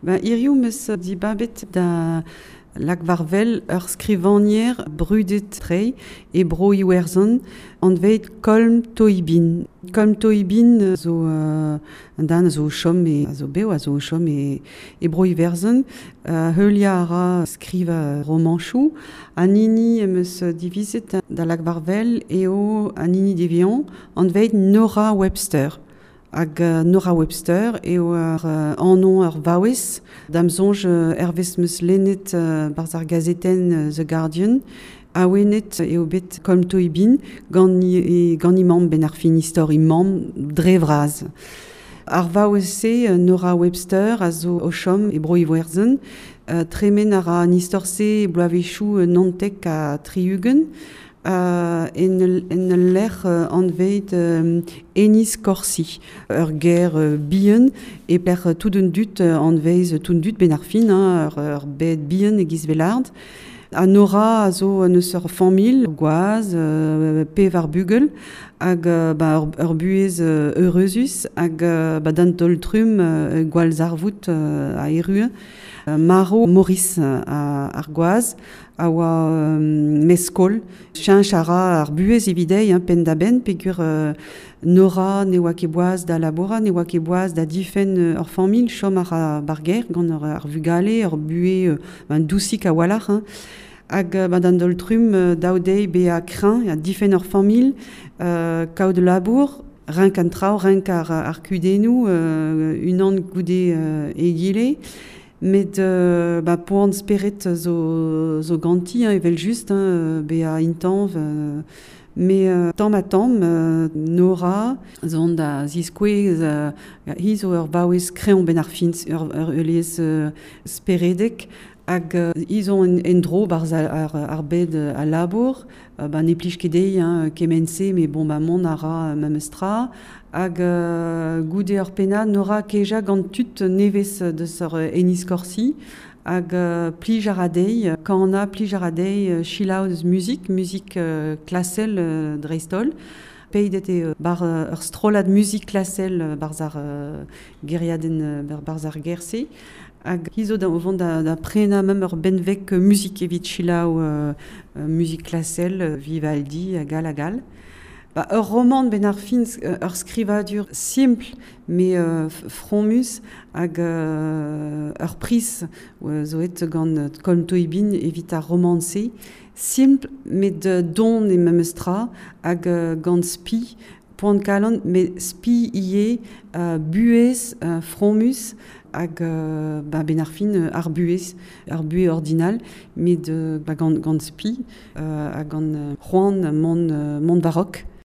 Ba hiriv 'meus dibabet da lak war-wel ur skrivagner brudet tre e bro Iwerzhon anvet Colm Tóibín. Colm Tóibín zo un den a zo o chom e, a zo bev a zo o chom e, e bro Iwerzhon. Heuliañ a ra skrivañ romanchoù. An hini em eus divizet da lak war-wel eo an hini deviañ anvet Nora Webster. Hag Nora Webster eo ur anv ur vaouez. Da'm soñj hervez 'm eus lennet barzh ar gazetenn The Guardian, awenet eo bet Colm Tóibín gant gant he mamm benn ar fin istor he mamm dre vras. Ar vaouez-se, Nora Webster, a zo o chom e Bro-Iwerzhon. Tremen a ra an istor-se e bloavezhioù 79 ha 60. En ul lec'h anvet Enniscorthy, ur gêr bihan e pelec'h tout an dud anvez tout an dud benn ar fin, hein, ur bed bihan e-giz Velard. Ha Nora a zo neus ur familh, gwaz, pevar bugel, hag ba, ur buhez eureuzus, hag ba, d'an taol-trumm gwall zarvoud a erru. Marv Maurice ar gwaz a oa meskol. Cheñch a ra ar buhez evit dezhi hein, penn-da-benn peogwir Nora ne oa ket boaz da labourat, ne oa ket boaz da difenn ur familh, chom a ra ba'r gêr gant ar vugale, ur buhez ben, dousik a-walc'h. Hein. Hag ba, d'an daol-trumm dav dezhi bezañ kreñv ha difenn ur familh, kaout labour, renk an traoù, renk ar kudennoù unan goude egile. Met ba, poan spered zo, zo ganti, hein, evel-just, hein, bezañ intañv. Mais tamm-ha-tamm, Nora zo da ziskouez hi zo ur vaouez kreñv benn ar fin, ur lez speredek hag hi zo en-dro barzh ar bed a labour. Ba ne plij ket dezhi hein, kement-se, met bon ba mont a ra memes tra. Hag goude ur pennad, Nora kejañ gant tud nevez deus ur Enniscorthy hag plij a ra dezhi kanañ, plij a ra dezhi selaou deus muzik, muzik klasel dreist-holl. Pedet eo bar ur strollad muzik klasel barzh ar gêriadenn barzh ar gêr-se. Hag hi zo da o vont da prenañ mem ur benveg muzik evit selaou muzik klasel, Vivaldi hag all hag all. Ba, ur romant benn ar fin, ur skrivadur simpl met fromus hag ur priz zo aet gant Colm Tóibín evit ar romant-se. Simpl met don e memes tra hag gant spi, poan kalon, met spi ivez, buhez fromus hag ba, benn ar fin ar buhez, ar buhez ordinal, met ba, gant spi hag gant c'hoant mont war-raok.